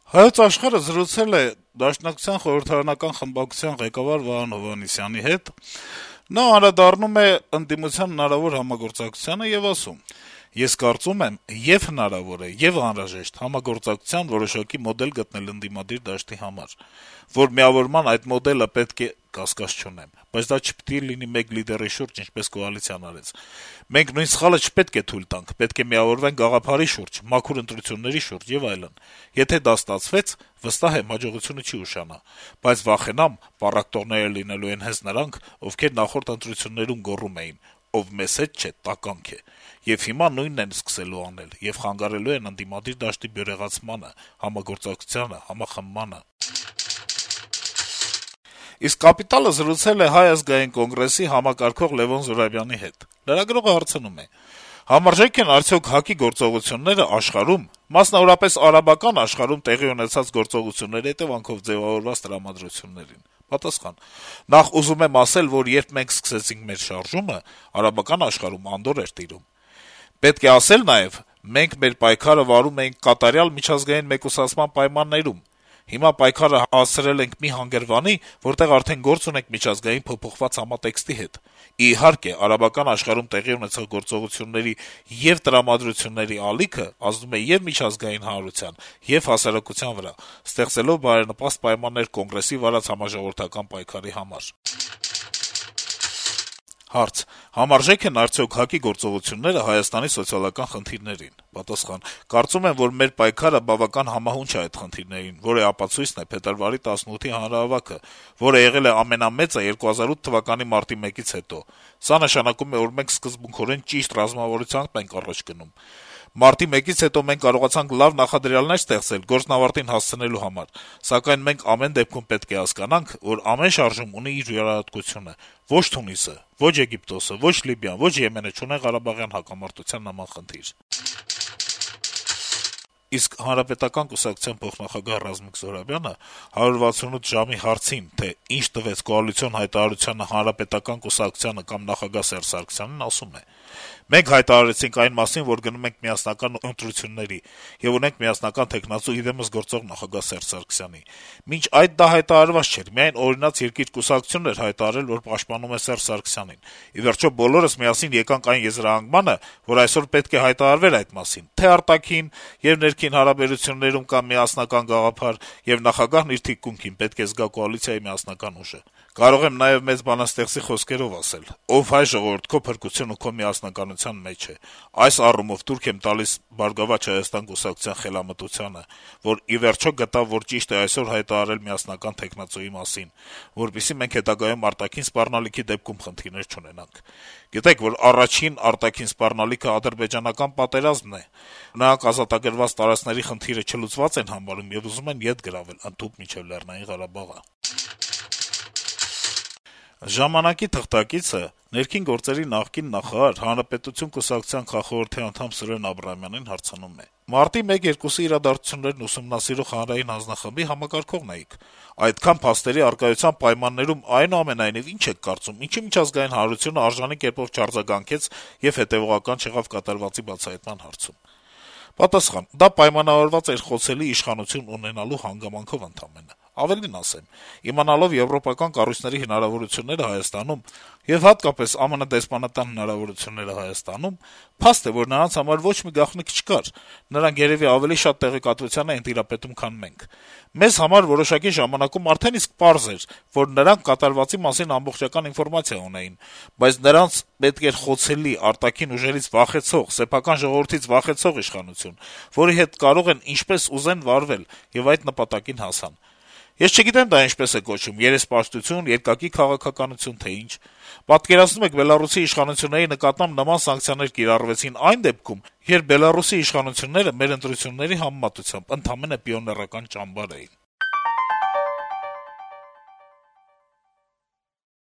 Հայոց Աշխարհը զրուցել է Դաշնակցության խորհրդարանական խմբակցության ղեկավար Վահան Հովհաննիսյանի հետ: Նա անդրադառնում է ընդդիմության հնարավոր համագործակցությանը եւ ասում. - «Ես կարծում եմ, եւ հնարավոր է, եւ անհրաժեշտ համագործակցության որոշակի մոդել գտնել ընդդիմադիր դաշտի համար, որ միավորման այդ մոդելը պետք է կասկած չունեմ, բայց դա չպիտի լինի մեկ լիդերի շուրջ, ինչպես կոալիցիան արեց: Մենք նույն սխալը չպետք է թույլ տանք, պետք է միավորվենք գաղափարի շուրջ, մաքուր ընտրությունների շուրջ եւ այլն: Եթե դա ստացվեց, վստահ եմ, հաջողությունը չի ուշանա, բայց վախենամ, պառակտորները լինելու են հենց նրանք, ովքեր նախորդ ընտրություններում գոռում էին` ով մեզ հետ չէ, տականք է: Եվ հիմա նույնն են սկսելու անել եւ խանգարելու են ընդդիմադիր դաշտի բյուրեղացմանը, համագործակցությանը, համախմբմանը»: Իսկ «Կապիտալ»-ը զրուցել է Հայ ազգային կոնգրեսի համակարգող Լեւոն Զուրաբյանի հետ: Լրագրողը հարցնում է. - «Համարժե՞ք են արդյոք ՀԱԿ-ի գործողությունները աշխարհում, մասնավորապես արաբական աշխարհում տեղի ունեցած գործողությունների հետեւանքով ձեւավորված տրամադրություններին»: Պատասխան. - «Նախ ուզում եմ ասել, որ երբ մենք սկսեցինք մեր շարժումը, արաբական աշխարհում անդորր էր տիրում: Պետք է ասել նաեւ, մենք մեր պայքարը վարում էինք կատարյալ միջազգային մեկուսացման պայմաններում: Հիմա պայքարը հասցրել ենք մի հանգրվանի, որտեղ արդեն գործ ունենք միջազգային փոփոխված համատեքստի հետ: Իհարկե, արաբական աշխարհում տեղի ունեցող գործողությունների եւ տրամադրությունների ալիքը ազդում է եւ միջազգային հանրության, եւ հասարակության վրա, ստեղծելով բարենպաստ պայմաններ Կոնգրեսի վարած համաժողովրդական պայքարի համար»: Հարց. - «Համարժե՞ք են արդյոք ՀԱԿ-ի գործողությունները Հայաստանի սոցիալական խնդիրներին»: Պատասխան. - «Կարծում եմ, որ մեր պայքարը բավական համահունչ է այդ խնդիրներին, որի ապացույցն է փետրվարի 18-ի հանրահավաքը, որը եղել է ամենամեծը 2008 թվականի մարտի 1-ից հետո: Սա նշանակում է, որ մենք սկզբունքորեն ճիշտ ռազմավարությամբ ենք առաջ գնում: Մարտի 1-ից հետո մենք կարողացանք լավ նախադրյալներ ստեղծել գործն ավարտին հասցնելու համար: Սակայն մենք ամեն դեպքում պետք է հասկանանք, որ ամեն շարժում ունի իր յուրահատկությունը: Ոչ Թունիսը, ոչ Եգիպտոսը, ոչ Լիբիան, ոչ Եմենը չունեն ղարաբաղյան հակամարտության նման խնդիր»: Իսկ Հանրապետական կուսակցության փոխնախագահ Ռազմիկ Զոհրաբյանը «168 ժամ»-ի հարցին, թե ինչ տվեց կոալիցիոն հայտարարությանը Հանրապետական կուսակցությանը կամ նախագահ Սերժ Սարգսյանին, ասում է. - «Մենք հայտարարեցինք այն մասին, որ գնում ենք միասնական ընտրությունների եւ ունենք միասնական թեկնածու ի դեմս գործող նախագահ Սերժ Սարգսյանի: Մինչ այդ դա հայտարարված չէր, միայն «Օրինաց երկիր» կուսակցությունն էր հայտարարել, որ պաշտպանում է Սերժ Սարգսյանին: Ի վերջո բոլորս միասին եկանք այն եզրահանգմանը, որ այսօր պետք է հայտարարվեր այդ մասին, թե արտաքին եւ ներքին հարաբերություններում կա միասնական գաղափար, եւ նախագահն իր թիկունքին պետք է զգա կոալիցիայի միասնական ուժը: Կարող եմ նաեւ մեծ բանաստեղծի խոսքերով ասել. «Ով հայ ժողովուրդ, քո փրկությունը քո միասնականության մեջ է: Այս առումով տուրք եմ տալիս «Բարգավաճ Հայաստան» կուսակցության խելամտությանը, որ ի վերջո գտավ, որ ճիշտ է այսօր հայտարարել միասնական թեկնածուի մասին, որպեսզի մենք հետագայում արտաքին սպառնալիքի դեպքում խնդիրներ չունենանք: Գիտեք, որ առաջին արտաքին սպառնալիքը ադրբեջանական պատերազմն է: Նրանք ազատագրված տարածքների խնդիրը չլուծված են համարում եւ ուզում են ետ գրավել, ընդհուպ մինչեւ Լեռնային Ղարաբաղը»: «Ժամանակ»-ի թղթակիցը ներքին գործերի նախկին նախարար, Հանրապետություն կուսակցության քաղխորհրդի անդամ Սուրեն Աբրահամյանին հարցնում է. - «Մարտի 1-2-ի իրադարձություններն ուսումնասիրող հանրային հանձնախմբի համակարգողն էիք: Այդքան փաստերի առկայության պայմաններում, այնուամենայնիվ, ինչ եք կարծում, ինչու միջազգային հանրությունը արժանի կերպով չարձագանքեց եւ հետեւողական չեղավ կատարվածի բացահայտման հարցում»: Պատասխան. - «Դա պայմանավորված էր խոցելի իշխանություն ունենալու հանգամանքով ընդամենը: Ավելին ասեմ, իմանալով եվրոպական կառույցների հնարավորությունները Հայաստանում եւ հատկապես ԱՄՆ դեսպանատան հնարավորությունները Հայաստանում, փաստ է, որ նրանց համար ոչ մի գաղտնիք չկար: Նրանք երեւի ավելի շատ տեղեկատվության էին տիրապետում, քան մենք: Մեզ համար որոշակի ժամանակում արդեն իսկ պարզ էր, որ նրանք կատարվածի մասին ամբողջական ինֆորմացիա ունեին, բայց նրանց պետք էր խոցելի, արտաքին ուժերից վախեցող, սեփական ժողովրդից վախեցող իշխանություն, որի հետ կարող են ինչպես ուզեն վարվել, եւ այդ նպատակին հասան: Ես չգիտեմ դա ինչպես է կոչվում` երեսպաշտություն, երկակի քաղաքականություն, թե ինչ: Պատկերացնո՞ւմ եք Բելառուսի իշխանությունների նկատմամբ նման սանկցիաներ կիրառվեցին այն դեպքում, երբ Բելառուսի իշխանությունները մեր ընտրությունների համեմատությամբ ընդամենը պիոներական ճամբար էին»: